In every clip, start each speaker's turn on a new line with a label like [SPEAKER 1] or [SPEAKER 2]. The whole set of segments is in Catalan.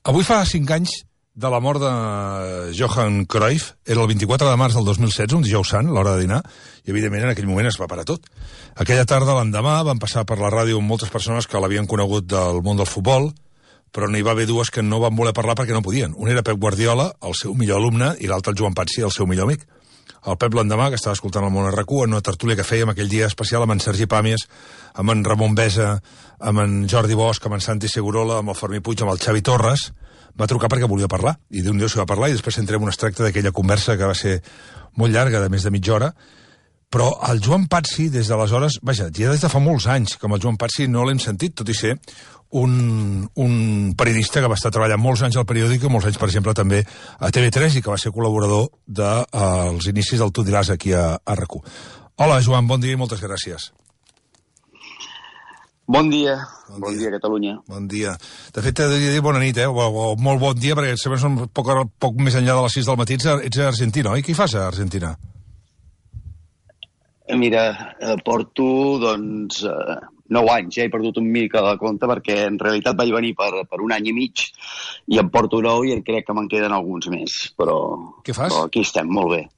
[SPEAKER 1] Avui fa 5 anys de la mort de Johan Cruyff. Era el 24 de març del 2016, un dijous sant, a l'hora de dinar, i evidentment en aquell moment es va parar tot. Aquella tarda, l'endemà, van passar per la ràdio moltes persones que l'havien conegut del món del futbol, però n'hi va haver dues que no van voler parlar perquè no podien. Un era Pep Guardiola, el seu millor alumne, i l'altre el Joan Patsi, el seu millor amic. El Pep l'endemà, que estava escoltant el Món RQ, en una tertúlia que fèiem aquell dia especial amb en Sergi Pàmies, amb en Ramon Besa, amb en Jordi Bosch, amb en Santi Segurola, amb el Fermí Puig, amb el Xavi Torres, va trucar perquè volia parlar, i d'un dia s'hi va parlar, i després entrem un extracte d'aquella conversa que va ser molt llarga, de més de mitja hora, però el Joan Patsi, des d'aleshores, vaja, ja des de fa molts anys, com el Joan Patsi no l'hem sentit, tot i ser un periodista que va estar treballant molts anys al periòdic, molts anys, per exemple, també a TV3, i que va ser col·laborador dels inicis del Tu diràs aquí a RAC1. Hola, Joan, bon dia i moltes gràcies.
[SPEAKER 2] Bon dia, bon dia, Catalunya.
[SPEAKER 1] Bon dia. De fet, t'he de dir bona nit, o molt bon dia, perquè sempre són poc més enllà de les 6 del matí. Ets a Argentina, oi? Què hi fas a Argentina?
[SPEAKER 2] Mira, porto, 9 anys, ja he perdut un mica de compte, perquè en realitat vaig venir per un any i mig, i em porto 9 i crec que me'n queden alguns més, però...
[SPEAKER 1] Què fas?
[SPEAKER 2] Però aquí estem, molt bé.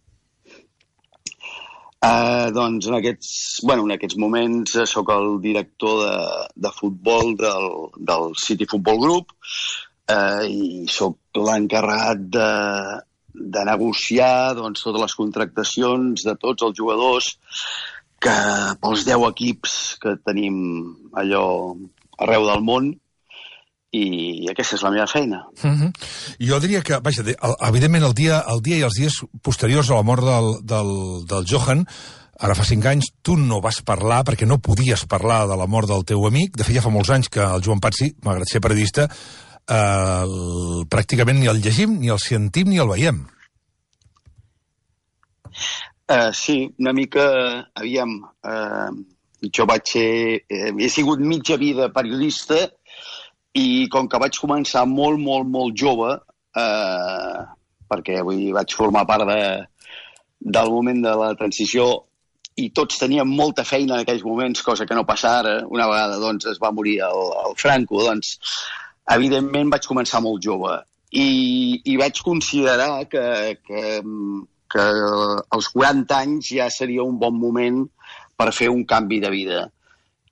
[SPEAKER 2] Doncs en aquests moments sóc el director de futbol del City Football Group, i sóc l'encarregat de negociar totes les contractacions de tots els jugadors que pels 10 equips que tenim allò arreu del món, i aquesta és la meva feina.
[SPEAKER 1] Jo diria que, vaja, evidentment el dia i els dies posteriors a la mort del Johan, ara fa 5 anys, tu no vas parlar perquè no podies parlar de la mort del teu amic. De fet, ja fa molts anys que el Joan Patsi, malgrat ser periodista, pràcticament ni el llegim, ni el sentim, ni el veiem.
[SPEAKER 2] Sí, una mica, aviam, jo he sigut mitja vida periodista, i com que vaig començar molt, molt, molt jove, perquè vaig formar part del moment de la transició, i tots teníem molta feina en aquells moments, cosa que no passa ara. Una vegada es va morir el Franco, evidentment vaig començar molt jove, i vaig considerar que als 40 anys ja seria un bon moment per fer un canvi de vida.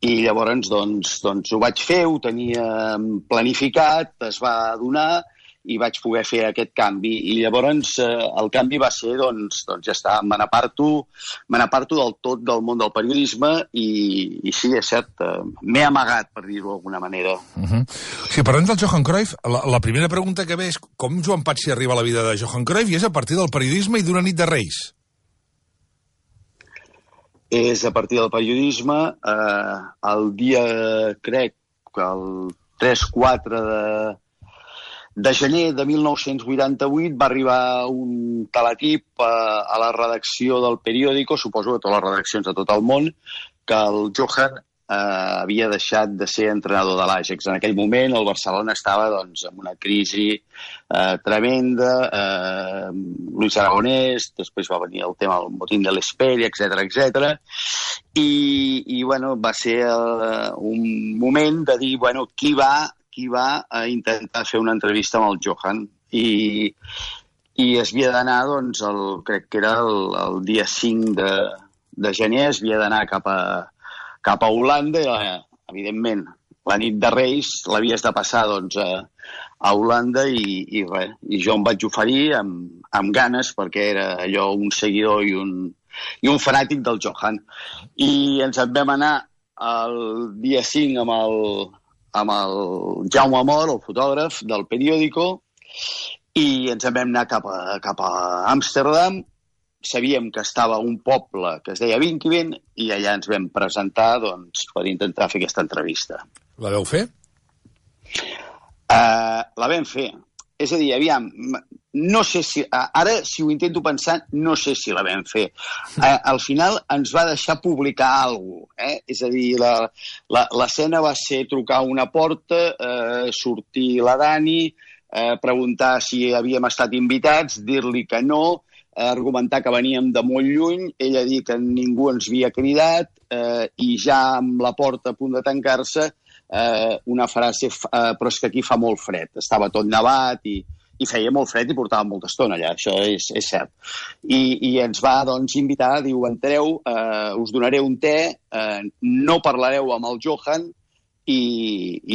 [SPEAKER 2] I llavors ho vaig fer, ho tenia planificat, es va donar i vaig poder fer aquest canvi. I llavors el canvi va ser, ja està, me n'aparto del tot del món del periodisme, i sí, és cert, m'he amagat, per dir-ho d'alguna manera.
[SPEAKER 1] Si parlem del Johan Cruyff, la primera pregunta que ve és com Joan Patsi arriba a la vida de Johan Cruyff, i és a partir del periodisme i d'una nit de Reis.
[SPEAKER 2] És a partir del periodisme. El dia, crec, que el 3-4 de gener de 1988 va arribar un teletip a la redacció del periòdico, suposo que totes les redaccions de tot el món, que el Johan havia deixat de ser entrenador de l'Ajax. En aquell moment el Barcelona estava en una crisi tremenda, Luis Aragonès, després va venir el tema del motín de l'Esperi, etc. I va ser un moment de dir, qui va a intentar fer una entrevista amb el Johan, i es havia d'anar, crec que era el dia 5 de gener, es havia d'anar cap a Holanda, i evidentment la nit de Reis l'havies de passar a Holanda, i jo em vaig oferir amb ganes, perquè era allò un seguidor i un fanàtic del Johan. I ens en vam anar el dia 5 amb el Jaume Amor, el fotògraf del periòdico, i ens en vam anar cap a Amsterdam. Sabíem que estava a un poble que es deia Vinquivent, i allà ens vam presentar per intentar fer aquesta entrevista.
[SPEAKER 1] La vau fer?
[SPEAKER 2] La vam fer. És a dir, aviam, no sé si... Ara, si ho intento pensar, no sé si la vam fer. Al final ens va deixar publicar alguna cosa. És a dir, l'escena va ser trucar a una porta, sortir la Dani, preguntar si havíem estat invitats, dir-li que no, argumentar que veníem de molt lluny, ella dir que ningú ens havia cridat, i ja amb la porta a punt de tancar-se una frase, però és que aquí fa molt fred. Estava tot nevat i feia molt fred i portava molta estona allà, això és cert. I ens va, doncs, invitar, diu, entreu, us donaré un te, no parlareu amb el Johan i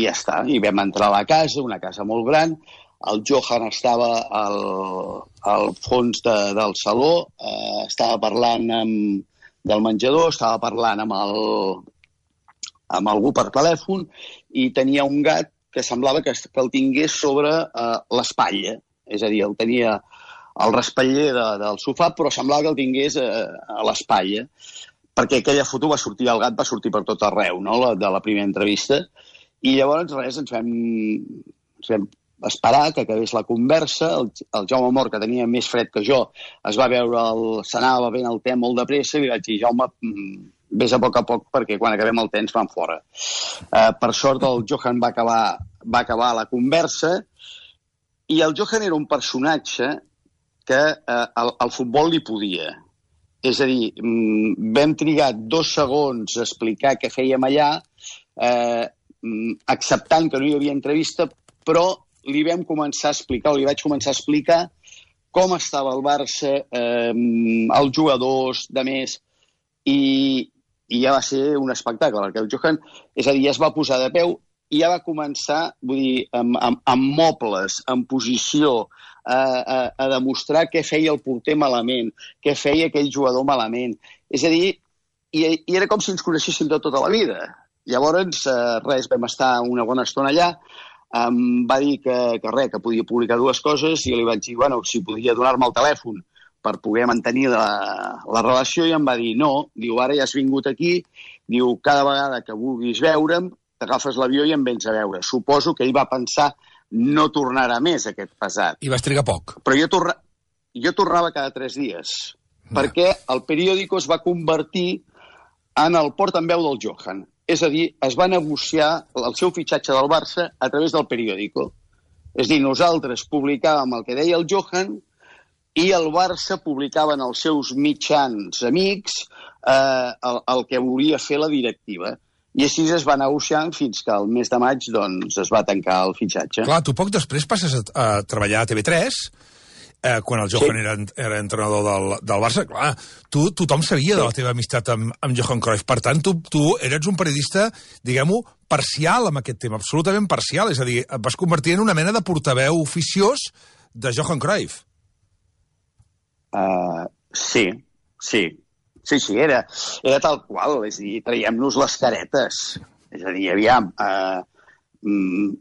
[SPEAKER 2] ja està. I vam entrar a la casa, una casa molt gran, el Johan estava al fons del saló, estava parlant del menjador, estava parlant amb algú per telèfon i tenia un gat que semblava que el tingués sobre l'espatlla. És a dir, el tenia al respatller del sofà, però semblava que el tingués a l'espatlla, perquè aquella foto el gat va sortir per tot arreu, no?, de la primera entrevista. I llavors, res, ens vam esperar que acabés la conversa. El Jaume Mort, que tenia més fred que jo, es va veure, s'anava bevent el te molt de pressa i li vaig dir, Jaume, vés a poc perquè quan acabem el te ens van fora. Per sort el Johan va acabar la conversa i el Johan era un personatge que al futbol li podia. És a dir, vam trigar 2 segons a explicar què fèiem allà, acceptant que no hi havia entrevista, però li vam començar a explicar, o li vaig començar a explicar com estava el Barça, els jugadors, de més, i ja va ser un espectacle, perquè el Johan, és a dir, ja es va posar de peu i ja va començar, vull dir, amb mobles, en posició, a demostrar què feia el porter malament, què feia aquell jugador malament. És a dir, i era com si ens coneixéssim de tota la vida. Llavors, res, vam estar una bona estona allà, em va dir que podia publicar 2 coses i jo li vaig dir, bueno, si podia donar-me el telèfon per poder mantenir la relació, i em va dir, no, diu, ara ja has vingut aquí, diu, cada vegada que vulguis veure'm, t'agafes l'avió i em vens a veure. Suposo que ell va pensar, no tornarà més aquest pesat.
[SPEAKER 1] I vas trigar poc.
[SPEAKER 2] Però jo tornava cada 3 dies, perquè el periòdico es va convertir en el portaveu del Johan. És a dir, es va negociar el seu fitxatge del Barça a través del periòdico. És a dir, nosaltres publicàvem el que deia el Johan i el Barça publicava en els seus mitjans amics el que volia fer la directiva. I així es va negociant fins que el mes de maig doncs, es va tancar el fitxatge.
[SPEAKER 1] Clar, tu poc després passes a treballar a TV3, quan el Johan era entrenador del Barça. Clar, tothom sabia de la teva amistat amb Johan Cruyff. Per tant, tu eres un periodista, diguem-ho, parcial amb aquest tema, absolutament parcial. És a dir, et vas convertir en una mena de portaveu oficiós de Johan Cruyff.
[SPEAKER 2] Sí, era tal qual, és a dir, traiem-nos les caretes. És a dir, aviam,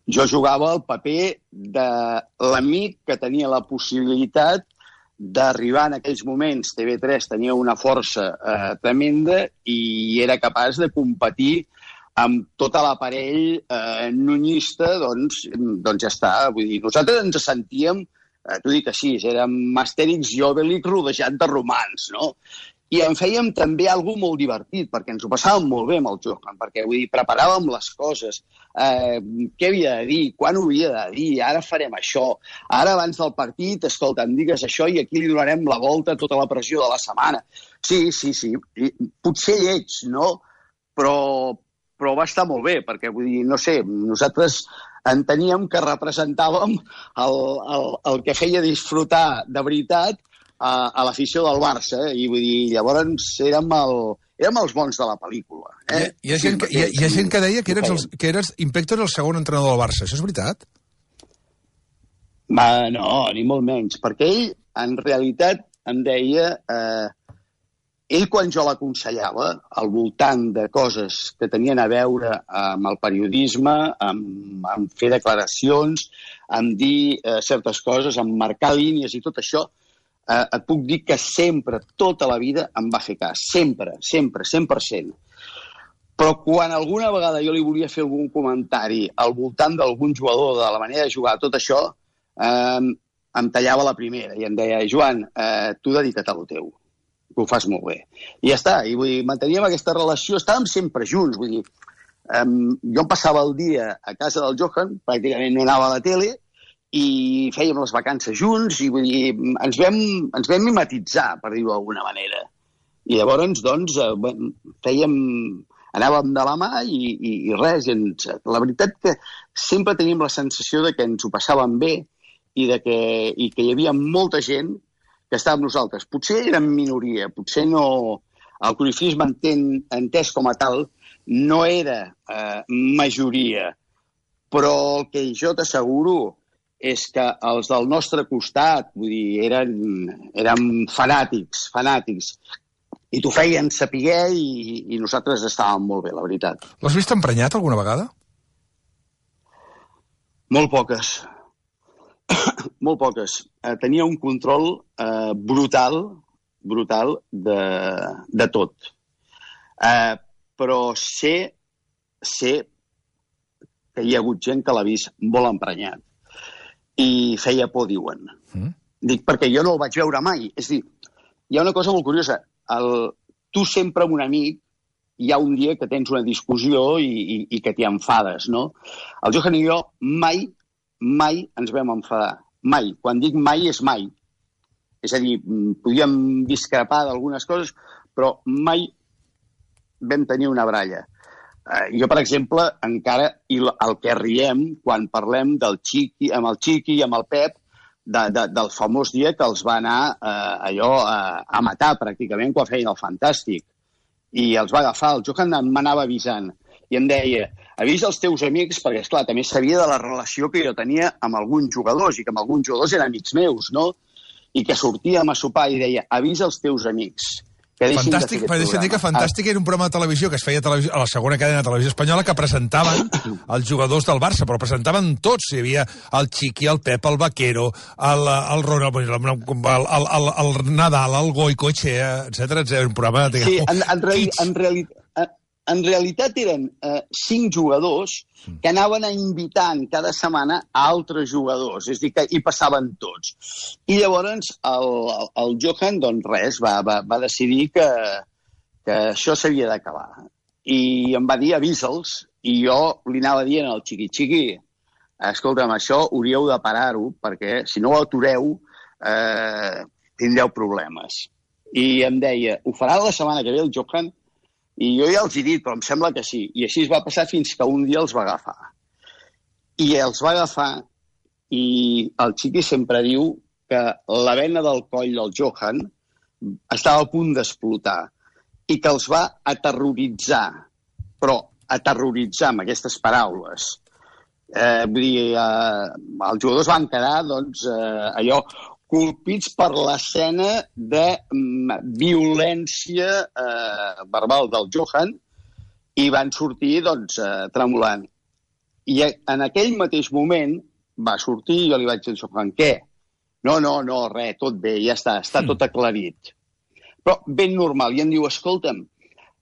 [SPEAKER 2] jo jugava el paper de l'amic que tenia la possibilitat d'arribar en aquells moments. TV3 tenia una força tremenda i era capaç de competir amb tot l'aparell nunyista, doncs ja està. Vull dir, nosaltres ens sentíem, t'ho dic així, érem Astèrix i Obélix rodejat de romans, no? I en fèiem també alguna molt divertit, perquè ens ho passàvem molt bé amb el Johan, perquè vull dir, preparàvem les coses, què havia de dir, quan ho havia de dir, ara farem això, ara abans del partit, escolta, em digues això i aquí li donarem la volta a tota la pressió de la setmana. Sí, potser lleig, no? Però va estar molt bé, perquè vull dir, no sé, nosaltres enteníem que representàvem el que feia disfrutar de veritat a l'afició del Barça, i vull dir, llavors érem els bons de la pel·lícula.
[SPEAKER 1] Hi ha gent que deia que eres Impector el segon entrenador del Barça. Això és veritat?
[SPEAKER 2] No, ni molt menys, perquè ell, en realitat, em deia... Ell, quan jo l'aconsellava, al voltant de coses que tenien a veure amb el periodisme, amb fer declaracions, amb dir certes coses, amb marcar línies i tot això, et puc dir que sempre, tota la vida, em va fer cas. Sempre, 100%. Però quan alguna vegada jo li volia fer algun comentari al voltant d'algun jugador, de la manera de jugar, tot això, em tallava la primera i em deia, Joan, tu dedica't a lo teu, que ho fas molt bé. I ja està, i vull dir, manteníem aquesta relació, estàvem sempre junts, vull dir, jo em passava el dia a casa del Johan, pràcticament no anava a la tele, i fèiem les vacances junts, i vull dir, ens vam mimetitzar, per dir-ho d'alguna manera. I llavors, doncs, anàvem de la mà i res. La veritat que sempre tenim la sensació de que ens ho passàvem bé i que hi havia molta gent que estava amb nosaltres. Potser érem minoria, potser no... El cruyffisme entès com a tal no era majoria, però el que jo t'asseguro és que els del nostre costat, vull dir, eren fanàtics, i t'ho feien saber i nosaltres estàvem molt bé, la veritat.
[SPEAKER 1] L'has vist emprenyat alguna vegada?
[SPEAKER 2] Molt poques. Molt poques. Tenia un control brutal de tot. Però sé que hi ha hagut gent que l'ha vist molt emprenyat. I feia por, diuen. Dic, perquè jo no el vaig veure mai. És a dir, hi ha una cosa molt curiosa. Tu sempre amb un amic hi ha un dia que tens una discussió i que t'hi enfades, no? El Johan i jo mai ens vam enfadar. Mai. Quan dic mai, és mai. És a dir, podíem discrepar d'algunes coses, però mai vam tenir una baralla. Jo, per exemple, encara, i el que riem quan parlem amb el Chiqui i amb el Pep, del famós dia que els va anar a matar, pràcticament, quan feien el Fantàstic. I els va agafar. El Johan m'anava avisant. I em deia, avisa els teus amics, perquè, esclar, també sabia de la relació que jo tenia amb alguns jugadors, i que amb alguns jugadors eren amics meus, no? I que sortíem a sopar i deia, avisa els teus amics.
[SPEAKER 1] Fantàstic, per deixar dir que Fantàstic era un programa de televisió que es feia a la segona cadena de televisió espanyola que presentaven els jugadors del Barça, però presentaven tots. Hi havia el Chiqui, el Pep, el Vaquero, el Ronald, el Nadal, el Goicoechea, etc. Un programa...
[SPEAKER 2] Sí, en realitat eren 5 jugadors que anaven invitant cada setmana a altres jugadors, és a dir, que hi passaven tots. I llavors el Johan, doncs res, va decidir que això s'havia d'acabar. I em va dir, avisa'ls, i jo li anava dient al Chiqui, escolta'm, això hauríeu de parar-ho, perquè si no ho atureu tindreu problemes. I em deia, ho farà la setmana que ve el Johan? I jo ja els he dit, però em sembla que sí. I així es va passar fins que un dia els va agafar. I els va agafar i el Chiqui sempre diu que la vena del coll del Johan estava a punt d'explotar i que els va aterroritzar, però aterroritzar amb aquestes paraules. Vull dir, els jugadors van quedar, doncs, allò... colpits per l'escena de violència verbal del Johan i van sortir, doncs, tremolant. I en aquell mateix moment va sortir i jo li vaig dir al Johan, què? No, res, tot bé, ja està tot aclarit. Però ben normal, i em diu, escolta'm,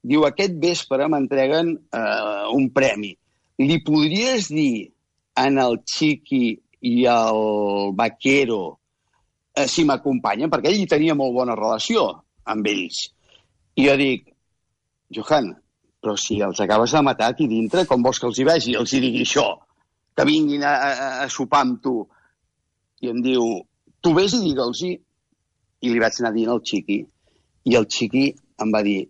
[SPEAKER 2] diu, aquest vespre m'entreguen un premi. Li podries dir en el Chiqui i el Vaquero si m'acompanyen, perquè ell hi tenia molt bona relació amb ells. I jo dic, Johan, però si els acabes de matar aquí dintre, com vols que els hi vegi? Els hi digui això, que vinguin a sopar amb tu. I em diu, tu vés i digue'ls-hi. I li vaig anar dient al Chiqui. I el Chiqui em va dir,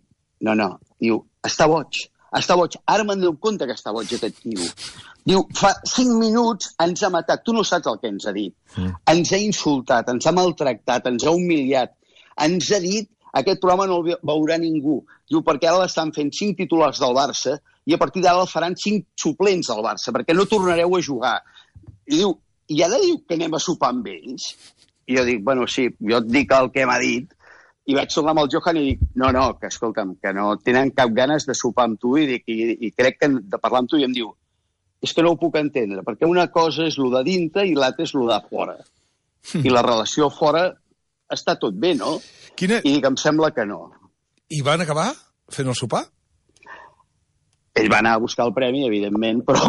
[SPEAKER 2] no, diu, està boig. Ara me'n dono compte que està boig aquest tio. Diu, fa 5 minuts ens ha matat. Tu no saps el que ens ha dit. Ens ha insultat, ens ha maltractat, ens ha humiliat. Ens ha dit, aquest programa no el veurà ningú. Diu, perquè ara l'estan fent 5 titulars del Barça i a partir d'ara el faran 5 suplents del Barça, perquè no tornareu a jugar. I diu, i ara diu que anem a sopar amb ells? I jo dic, bueno, sí, jo et dic el que m'ha dit. I vaig tornar amb el Johan i dic, no, que escolta'm, que no tenen cap ganes de sopar amb tu i crec que de parlar amb tu. I em diu, és que no ho puc entendre, perquè una cosa és lo de dintre i l'altra és lo de fora. I la relació fora està tot bé, no? I dic, em sembla que no.
[SPEAKER 1] I van acabar fent el sopar?
[SPEAKER 2] Ell va anar a buscar el premi, evidentment, però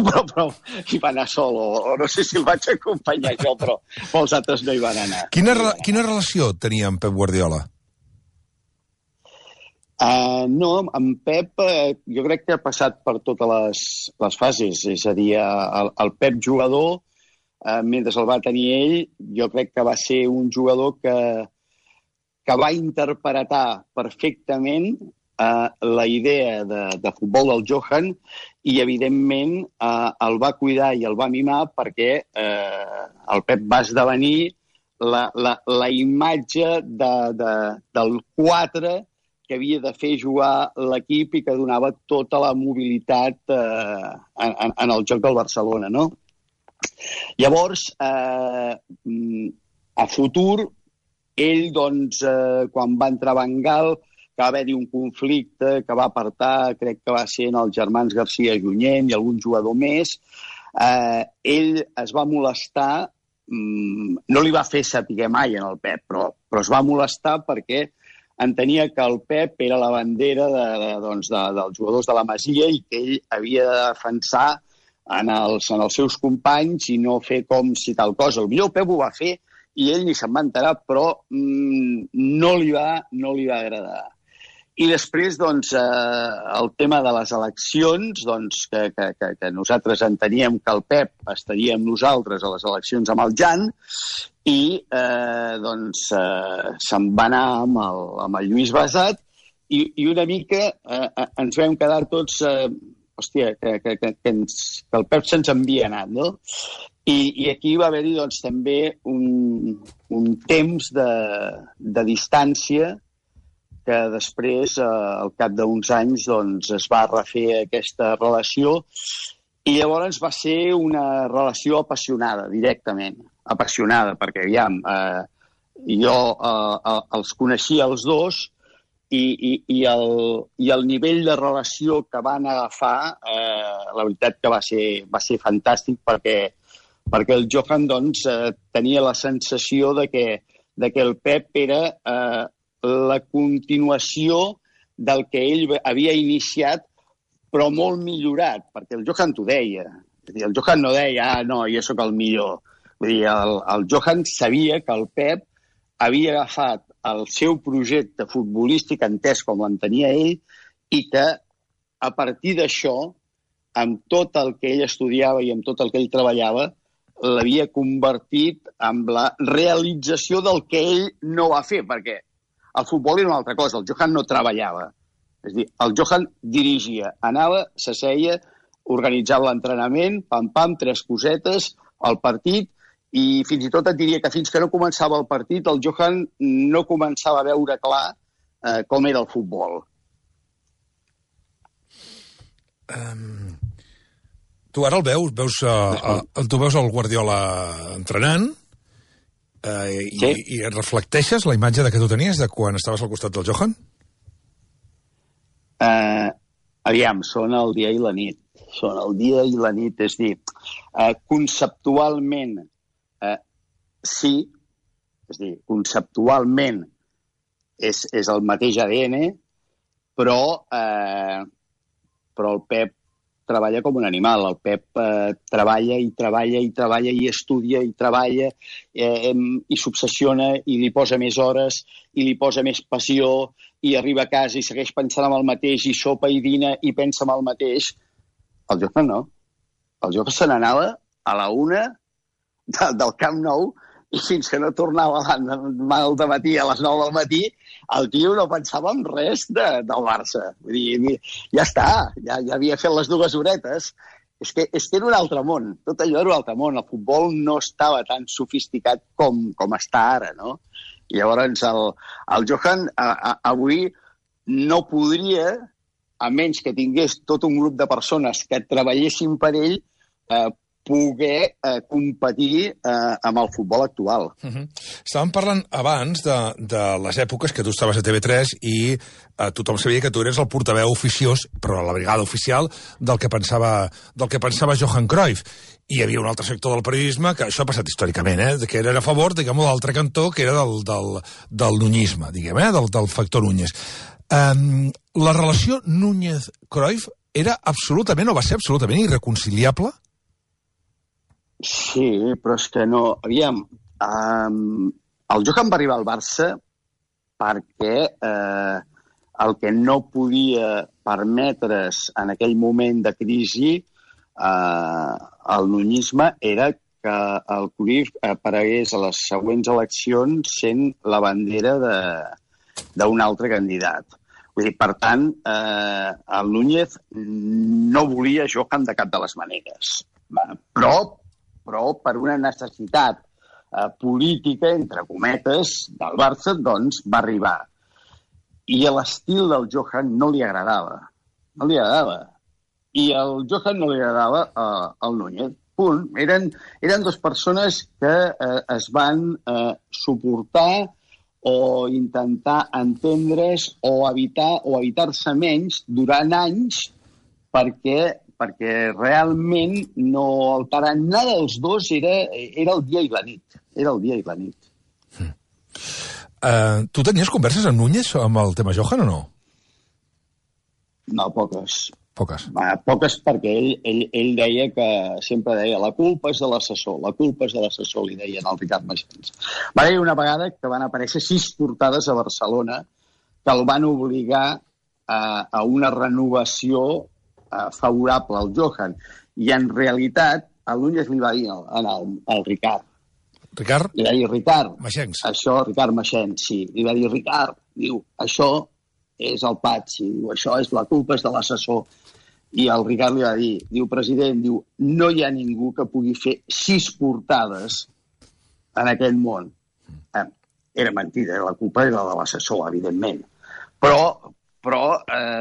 [SPEAKER 2] hi va anar sol, o no sé si el vaig acompanyar jo, però els altres no hi van anar.
[SPEAKER 1] Quina relació tenia amb Pep Guardiola?
[SPEAKER 2] No, en Pep jo crec que ha passat per totes les fases, és a dir, el Pep jugador, mentre el va tenir ell, jo crec que va ser un jugador que va interpretar perfectament la idea de futbol del Johan i, evidentment, el va cuidar i el va mimar perquè el Pep va esdevenir la imatge del 4 que havia de fer jugar l'equip i que donava tota la mobilitat en el joc del Barcelona, no? Llavors, a futur, ell, doncs, quan va entrar a Bengal, que va haver-hi un conflicte que va apartar, crec que va ser en els germans Garcia Junyent i algun jugador més, ell es va molestar, no li va fer saber mai en el Pep, però es va molestar perquè entenia que el Pep era la bandera dels jugadors de la Masia i que ell havia de defensar en els seus companys i no fer com si tal cosa. Potser el Pep ho va fer i ell ni se'n va enterar, però no li va agradar. I després, doncs, el tema de les eleccions, doncs, que nosaltres enteníem que el Pep estaria amb nosaltres a les eleccions amb el Jan, i doncs se'n va anar amb el Lluís Basat i una mica ens vam quedar tots, hòstia, que el Pep se'ns havia anat, no? I aquí va haver-hi doncs, també un temps de distància que després, al cap d'uns anys, doncs, es va refer aquesta relació i llavors va ser una relació apassionada, directament. Apassionada, perquè, aviam, jo els coneixia els dos i el nivell de relació que van agafar, la veritat que va ser fantàstic perquè el Johan, doncs, tenia la sensació de que el Pep era la continuació del que ell havia iniciat, però molt millorat, perquè el Johan t'ho deia. El Johan no deia, no, jo sóc el millor. Vull dir, el Johan sabia que el Pep havia agafat el seu projecte futbolístic, entès com l'entenia ell, i que a partir d'això, amb tot el que ell estudiava i amb tot el que ell treballava, l'havia convertit en la realització del que ell no va fer, perquè el futbol era una altra cosa, el Johan no treballava. És a dir, el Johan dirigia, anava, s'asseia, organitzava l'entrenament, pam-pam, 3 cosetes, el partit, i fins i tot et diria que fins que no començava el partit, el Johan no començava a veure clar com era el futbol.
[SPEAKER 1] Tu ara el veus tu veus el Guardiola entrenant, sí. I reflecteixes la imatge que tu tenies de quan estaves al costat del Johan?
[SPEAKER 2] Aviam, són el dia i la nit. Són el dia i la nit. És dir, conceptualment sí, és dir, conceptualment és el mateix ADN, però el Pep treballa com un animal. El Pep treballa i treballa i treballa i estudia i treballa i s'obsessiona i li posa més hores i li posa més passió i arriba a casa i segueix pensant en el mateix i sopa i dina i pensa en el mateix. El Johan no. El Johan se n'anava a la 1 del Camp Nou i fins que no tornava al dematí, a les 9 del matí, el tio no pensava en res del Barça. Vull dir, ja està, ja havia fet les 2 horetes. És que era un altre món, tot allò era un altre món. El futbol no estava tan sofisticat com està ara, no? I llavors el Johan avui no podria, a menys que tingués tot un grup de persones que treballessin per ell, poder competir amb el futbol actual.
[SPEAKER 1] Estàvem parlant abans de les èpoques que tu estaves a TV3 i tothom sabia que tu eres el portaveu oficiós, però a la brigada oficial, del que pensava Johan Cruyff. I hi havia un altre sector del periodisme, que això ha passat històricament, que era a favor, diguem-ho, d'altre cantó, que era del nunyisme, diguem, del factor Núñez. La relació Núñez-Cruyff era absolutament, o va ser absolutament irreconciliable?
[SPEAKER 2] Sí, però és que no... Aviam, el Johan va arribar al Barça perquè el que no podia permetre's en aquell moment de crisi el nunyisme era que el Cruyff aparegués a les següents eleccions sent la bandera d'un altre candidat. Vull dir, per tant, el Núñez no volia Johan de cap de les maneres. Però per una necessitat política, entre cometes, del Barça, doncs va arribar. I l'estil del Johan no li agradava. No li agradava. I el Johan no li agradava al Núñez. Punt. Eren dues persones que es van suportar o intentar entendre's o evitar-se menys durant anys perquè realment no alterar nada dels dos era el dia i la nit. Era el dia i la nit.
[SPEAKER 1] Tu tenies converses amb Núñez amb el tema Johan o no?
[SPEAKER 2] No, poques.
[SPEAKER 1] Poques.
[SPEAKER 2] Poques perquè ell deia que sempre deia la culpa és de l'assessor, li deien al Ricard Maxens. Va haver una vegada que van aparèixer 6 portades a Barcelona que el van obligar a una renovació favorable al Johan. I en realitat el Núñez li va dir al Ricard.
[SPEAKER 1] Ricard?
[SPEAKER 2] Li va dir, Ricard,
[SPEAKER 1] Maxens.
[SPEAKER 2] això, Ricard Maxens, sí. Li va dir, Ricard, diu, això és el Patxi, diu, això és la culpa és de l'assessor. I el Ricard li va dir, diu, president, diu, no hi ha ningú que pugui fer 6 portades en aquest món. Era mentida, la culpa era de l'assessor, evidentment. Però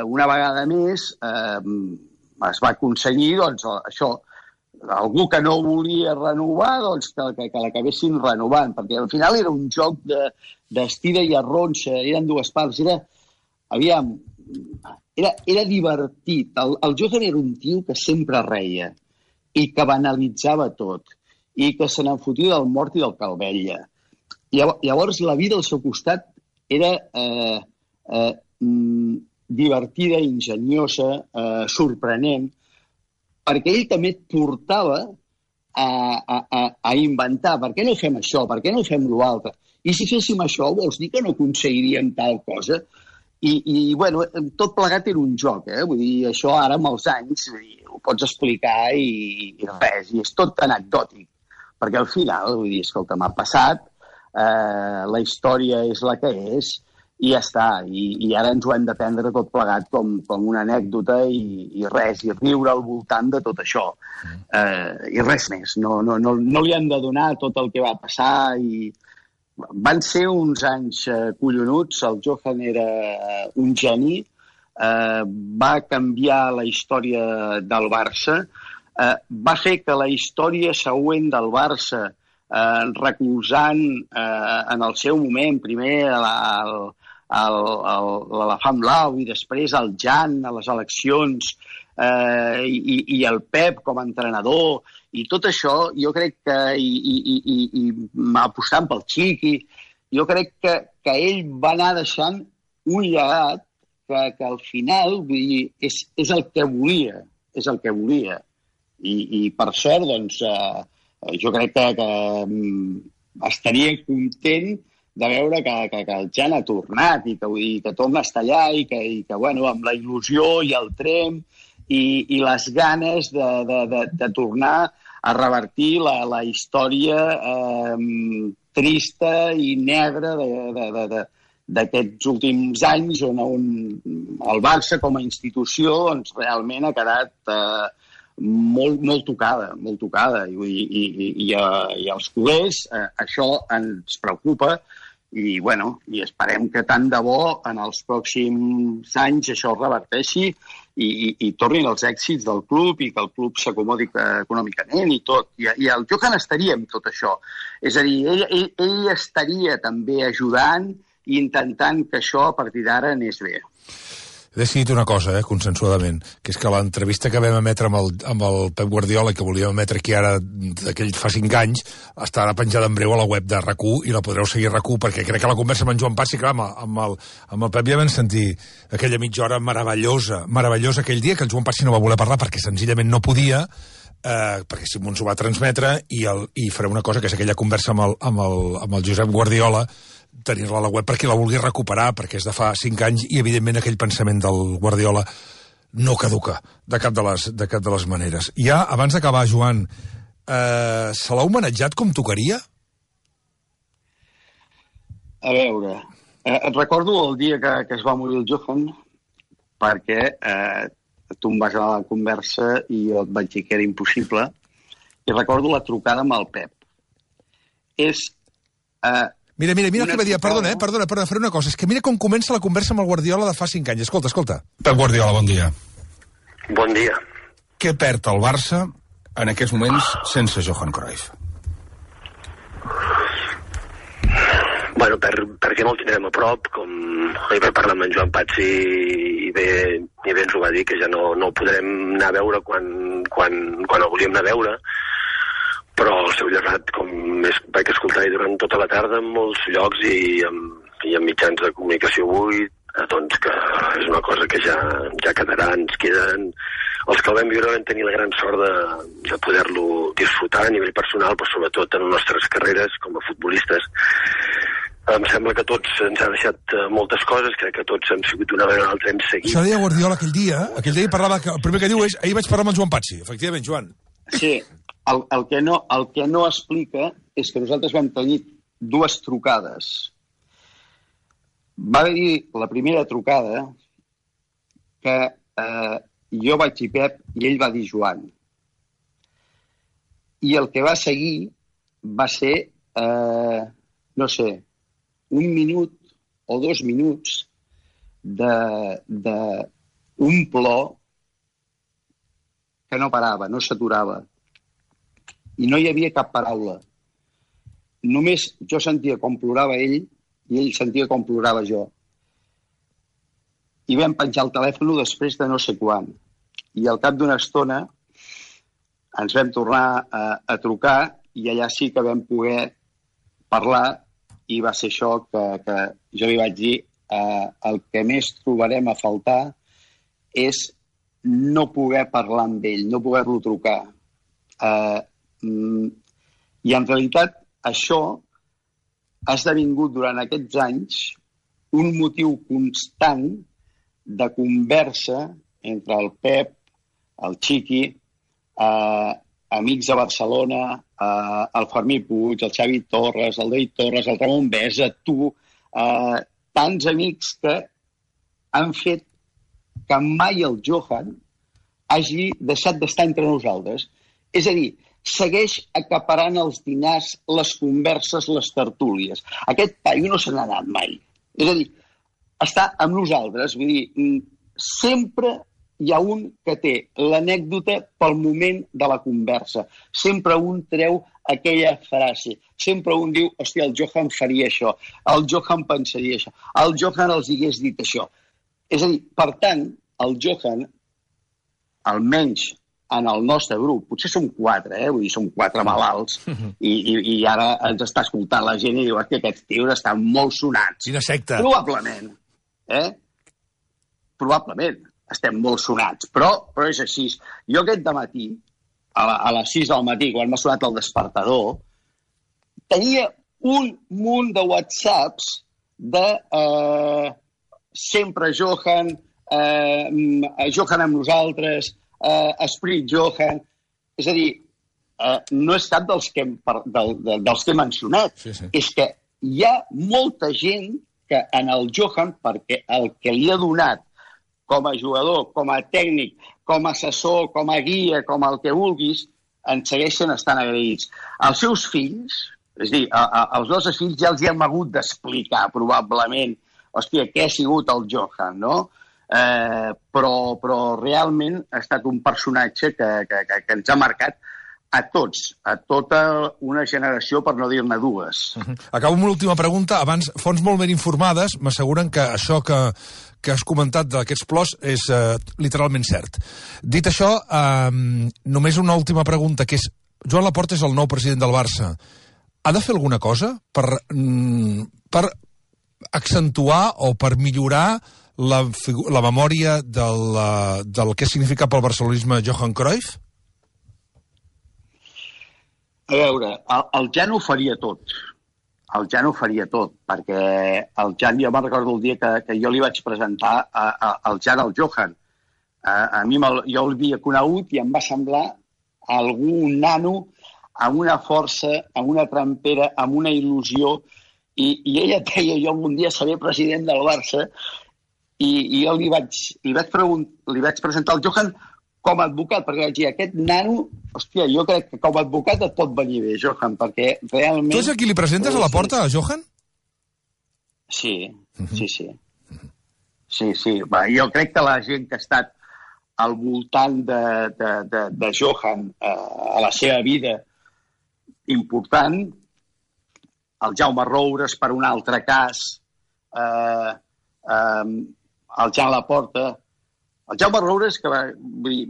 [SPEAKER 2] una vegada més es va aconseguir, doncs, això, algú que no volia renovar, doncs que l'acabessin renovant, perquè al final era un joc d'estira i arronxa, eren dues parts, era divertit. El Johan era un tio que sempre reia i que banalitzava tot i que se n'enfotia del mort i del calvella. Llavors la vida al seu costat era divertida, enginyosa, sorprenent, perquè ell també et portava a inventar. Per què no fem això? Per què no fem l'altre? I si féssim això, vols dir que no aconseguiríem tal cosa? I bueno, tot plegat era un joc, Vull dir, això ara amb els anys ho pots explicar i res, i és tot anecdòtic. Perquè al final, vull dir, escolta, m'ha passat, la història és la que és, i ja està. I ara ens ho hem de prendre tot plegat com una anècdota i res, i riure al voltant de tot això. I res més. No li han de donar tot el que va passar i van ser uns anys collonuts. El Johan era un geni, va canviar la història del Barça, va fer que la història següent del Barça, recolzant en el seu moment primer l'Elefant Blau i després el Jan a les eleccions i el Pep com a entrenador i tot això, jo crec que i apostant pel Xiqui, jo crec que ell va anar deixant un llegat que al final, vull dir, és el que volia, és el que volia. I per sort, doncs, jo crec que estaria content de veure que el Jan ha tornat i que torna a estar allà i que bueno, amb la il·lusió i el tremp i les ganes de tornar a revertir la història trista i negra d'aquests últims anys on el Barça com a institució doncs, realment ha quedat molt tocada, molt tocada. I als culers això ens preocupa i esperem que tant de bo en els pròxims anys això es reverteixi i tornin els èxits del club i que el club s'acomodi econòmicament i tot. I el Johan estaria amb tot això. És a dir, ell estaria també ajudant i intentant que això a partir d'ara anés bé.
[SPEAKER 1] He decidit una cosa, consensuadament, que és que l'entrevista que vam emetre amb el Pep Guardiola i que volíem emetre aquí ara d'aquell fa 5 anys estarà penjada en breu a la web de RAC1 i la podreu seguir a RAC1 perquè crec que la conversa amb en Joan Patxi, clar, amb el Pep ja vam sentir aquella mitja hora meravellosa aquell dia que el Joan Patxi no va voler parlar perquè senzillament no podia, perquè Simons ho va transmetre i farem una cosa que és aquella conversa amb el Josep Guardiola, tenir-la a la web perquè la vulgui recuperar, perquè és de fa 5 anys i, evidentment, aquell pensament del Guardiola no caduca de cap de les maneres. Ja, abans d'acabar, Joan, se l'ha homenatjat com tocaria?
[SPEAKER 2] A veure, recordo el dia que es va morir el Johan, perquè tu em vas anar a la conversa i jo et vaig dir que era impossible, i recordo la trucada amb el Pep. És...
[SPEAKER 1] Mira què va dir. Perdona, faré una cosa. És que mira com comença la conversa amb el Guardiola de fa 5 anys. Escolta. Pep Guardiola, bon dia.
[SPEAKER 3] Bon dia.
[SPEAKER 1] Què perd el Barça en aquests moments sense Johan Cruyff?
[SPEAKER 3] Bueno, perquè no el tindrem a prop, com ahir per parlar amb en Joan Patsi i bé ens ho va dir, que ja no el podrem anar a veure quan el volíem anar a veure, però el seu llegat, com vaig escoltar durant tota la tarda en molts llocs i en mitjans de comunicació avui, doncs que és una cosa que ja quedarà, ens queden... Els que el vam viure vam tenir la gran sort de poder-lo disfrutar a nivell personal, però sobretot en les nostres carreres com a futbolistes. Em sembla que tots ens ha deixat moltes coses, crec que tots hem sigut una vegada o altra, hem seguit.
[SPEAKER 1] Això deia Guardiola aquell dia parlava, que el primer que diu és, ahir vaig parlar amb en Joan Patsi, efectivament, Joan.
[SPEAKER 2] Sí, el que no explica és que nosaltres vam tenir 2 trucades. Va haver-hi la primera trucada que jo vaig dir Pep i ell va dir Joan. I el que va seguir va ser, no sé, 1 minut o 2 minuts d'un plor que no parava, no s'aturava. I no hi havia cap paraula. Només jo sentia com plorava ell i ell sentia com plorava jo. I vam penjar el telèfon després de no sé quan. I al cap d'una estona ens vam tornar a trucar i allà sí que vam poder parlar i va ser això que jo li vaig dir, el que més trobarem a faltar és no poder parlar amb ell, no poder-lo trucar. I en realitat això ha esdevingut durant aquests anys un motiu constant de conversa entre el Pep, el Chiqui, amics de Barcelona, el Fermí Puig, el Xavi Torres, el David Torres, el Ramon Besa, tu, tants amics que han fet que mai el Johan hagi deixat d'estar entre nosaltres. És a dir, segueix acaparant els dinars, les converses, les tertúlies. Aquest paio no se n'ha anat mai. És a dir, està amb nosaltres, vull dir, sempre hi ha un que té l'anècdota pel moment de la conversa. Sempre un treu aquella frase. Sempre un diu, hòstia, el Johan faria això, el Johan pensaria això, el Johan els hagués dit això. És a dir, per tant, el Johan, almenys en el nostre grup, potser som 4, vull dir, som 4 malalts, i ara ens està escoltant la gent i diu, hòstia, aquests tios estan molt sonats.
[SPEAKER 1] Quina secta.
[SPEAKER 2] Probablement, Probablement estem molt sonats, però és així. Jo aquest dematí, a les 6 del matí, quan m'ha sonat el despertador, tenia un munt de whatsapps de sempre Johan, Johan amb nosaltres, Esprit Johan. És a dir, no és cap dels que he mencionat.
[SPEAKER 1] Sí.
[SPEAKER 2] És que hi ha molta gent que en el Johan, perquè el que li ha donat com a jugador, com a tècnic, com a assessor, com a guia, com el que vulguis, ens segueixen estant agraïts. Els seus fills, és a dir, els nostres fills ja els hi hem hagut d'explicar, probablement, hòstia, què ha sigut el Johan, no? Però realment ha estat un personatge que ens ha marcat a tots, a tota una generació, per no dir-ne 2.
[SPEAKER 1] Acabo amb una última pregunta. Abans, fonts molt ben informades m'asseguren que això que has comentat d'aquests plors és literalment cert. Dit això, només una última pregunta, que és, Joan Laporta és el nou president del Barça. Ha de fer alguna cosa per accentuar o per millorar la memòria del que significa pel barcelonisme Johan Cruyff?
[SPEAKER 2] A veure, el Jan ho faria tot. El Jan ho faria tot, perquè el Jan, jo me'n recordo el dia que jo li vaig presentar al Jan al Johan. A mi jo el havia conegut i em va semblar algun nano amb una força, amb una trampera, amb una il·lusió, i ella deia, jo algun dia seré president del Barça, i jo li vaig presentar el Johan com a advocat, perquè vaig dir, aquest nano, hòstia, jo crec que com a advocat et pot venir bé, Johan, perquè realment...
[SPEAKER 1] Tu és a qui li presentes a la porta, a Johan?
[SPEAKER 2] Sí. Sí. Va, jo crec que la gent que ha estat al voltant de Johan a la seva vida important, el Jaume Roures per un altre cas, el Jan Laporta, el Jaume Roures, que va dir,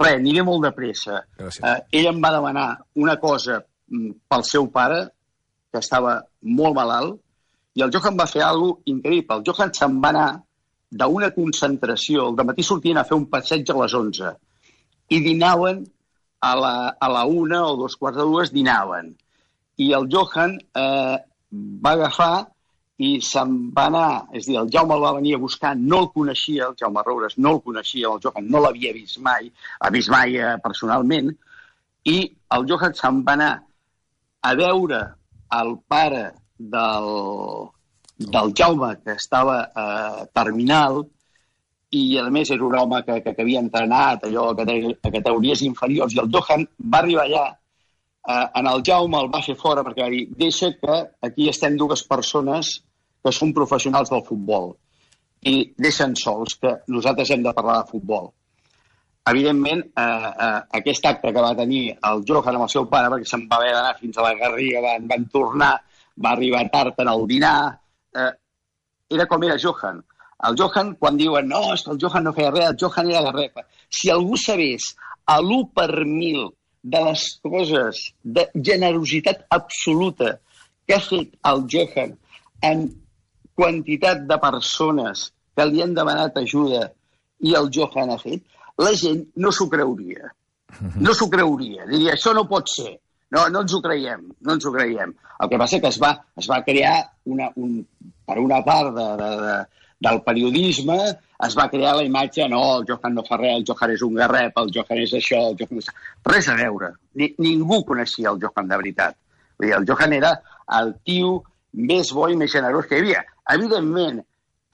[SPEAKER 2] aniré molt de pressa. Ell em va demanar una cosa pel seu pare, que estava molt malalt, i el Johan va fer alguna cosa increïble. El Johan se'n va anar d'una concentració, al dematí sortien a fer un passeig a les 11, i dinaven a la 1 o 2:15 dinaven. I el Johan va agafar i se'n va anar, és a dir, el Jaume el va venir a buscar, no el coneixia, el Jaume Roures no el coneixia, el Johan no l'havia vist mai personalment, i el Johan se'n va anar a veure el pare del Jaume, que estava terminal, i a més era un home que havia entrenat allò a categories inferiors, i el Johan va arribar allà, en el Jaume el va fer fora perquè va dir, deixa que aquí estem dues persones que són professionals del futbol i deixen sols que nosaltres hem de parlar de futbol. Evidentment, aquest acte que va tenir el Johan amb el seu pare, perquè se'n va haver d'anar fins a la Garriga, van tornar, va arribar tard en el dinar, era com era Johan. El Johan, quan diuen, no, és que el Johan no feia res, el Johan era garrepa. Si algú sabés a l'1 per 1000 de les coses de generositat absoluta que ha fet el Johan en quantitat de persones que li han demanat ajuda i el Johan ha fet, la gent no s'ho creuria. No s'ho creuria. Diria, això no pot ser. No ens ho creiem. El que passa és que es va crear, per una part del periodisme, es va crear la imatge, no, el Johan no fa res, el Johan és un garrep, el Johan és això, el Johan és... Res a veure. Ningú coneixia el Johan de veritat. Vull dir, el Johan era el tio més bo i més generós que hi havia. Evidentment,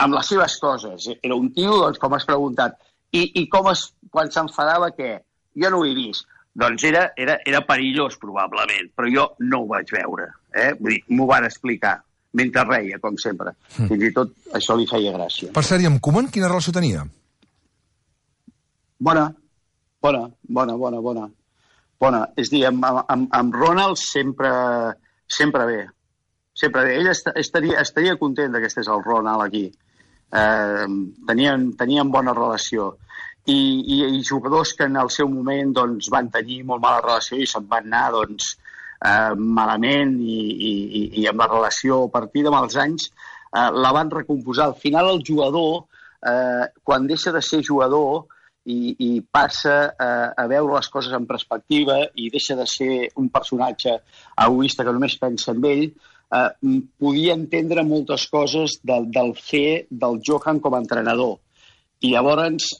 [SPEAKER 2] amb les seves coses. Era un tio, doncs, com has preguntat, i quan s'enfadava, què? Jo no ho he vist. Doncs era perillós, probablement, però jo no ho vaig veure. Vull dir, m'ho van explicar, mentre reia, com sempre. Fins i tot això li feia gràcia.
[SPEAKER 1] Per cert, i amb Koeman, quina relació tenia?
[SPEAKER 2] Bona. És dir, amb Ronald sempre bé. Ell estaria content que estigués el Ronald aquí. Tenien bona relació. I jugadors que en el seu moment doncs, van tenir molt mala relació i se'n van anar doncs, malament i amb la relació a partir de mals anys la van recomposar. Al final el jugador, quan deixa de ser jugador i passa a veure les coses en perspectiva i deixa de ser un personatge egoista que només pensa en ell, podia entendre moltes coses del fer del Johan com a entrenador. I llavors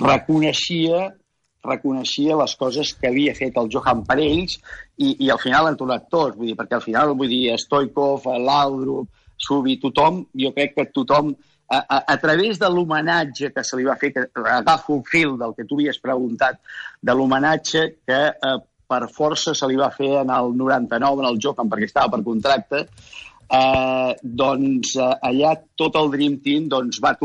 [SPEAKER 2] reconeixia les coses que havia fet el Johan per ells i al final han tornat tots, perquè al final, Stoikov, Laudrup, Subi, tothom, jo crec que tothom, a través de l'homenatge que se li va fer, que agafo el fil del que tu havies preguntat, de l'homenatge que per força se li va fer en el 99, en el Johan, perquè estava per contracte, doncs allà tot el Dream Team es van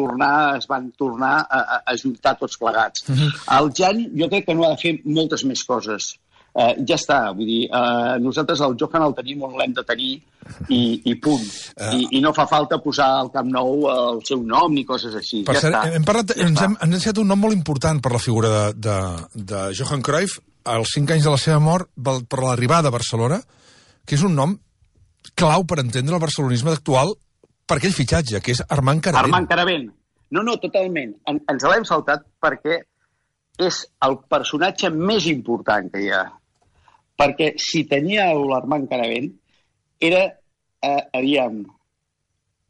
[SPEAKER 2] tornar a ajuntar tots plegats. El Jan jo crec que no ha de fer moltes més coses. Ja està, vull dir, nosaltres el Johan el tenim on l'hem de tenir i punt. I no fa falta posar al Camp Nou el seu nom ni coses així.
[SPEAKER 1] Per cert, ens hem deixat un nom molt important per la figura de Johan Cruyff als 5 anys de la seva mort per l'arribada a Barcelona, que és un nom clau per entendre el barcelonisme actual per aquell fitxatge, que és Armand Caravent.
[SPEAKER 2] Armand Caravent. No, totalment. Ens l'hem saltat perquè és el personatge més important que hi ha. Perquè si tenia l'Armand Caravent, era,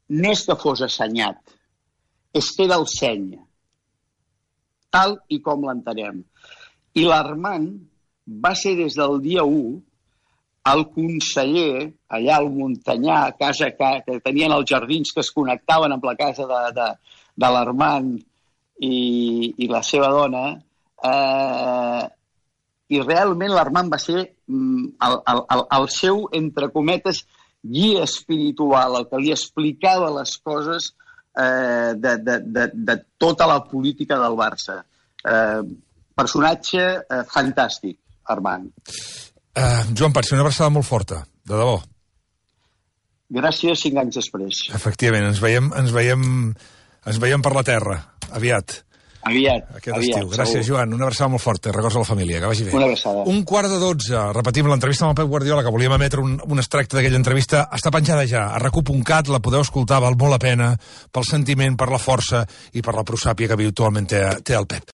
[SPEAKER 2] no és que fos assenyat, és que era el seny, tal i com l'entenem. I l'Armand va ser des del dia 1 el conseller, allà al Montanyà, casa que tenien els jardins que es connectaven amb la casa de l'Armand i la seva dona, i realment l'Armand va ser el seu, entre cometes, guia espiritual, el que li explicava les coses de tota la política del Barça. Personatge fantàstic, Armand.
[SPEAKER 1] Joan Patxi, una abraçada molt forta, de debò.
[SPEAKER 2] Gràcies 5 anys després.
[SPEAKER 1] Efectivament, ens veiem per la terra, aviat.
[SPEAKER 2] Aviat.
[SPEAKER 1] Estiu. Gràcies, Joan. Una abraçada molt forta. Records a la família. Que vagi bé.
[SPEAKER 2] Una abraçada.
[SPEAKER 1] 11:45. Repetim, l'entrevista amb el Pep Guardiola, que volíem emetre un extracte d'aquella entrevista, està penjada ja a recu.cat, la podeu escoltar, val molt la pena, pel sentiment, per la força i per la prosàpia que habitualment té el Pep.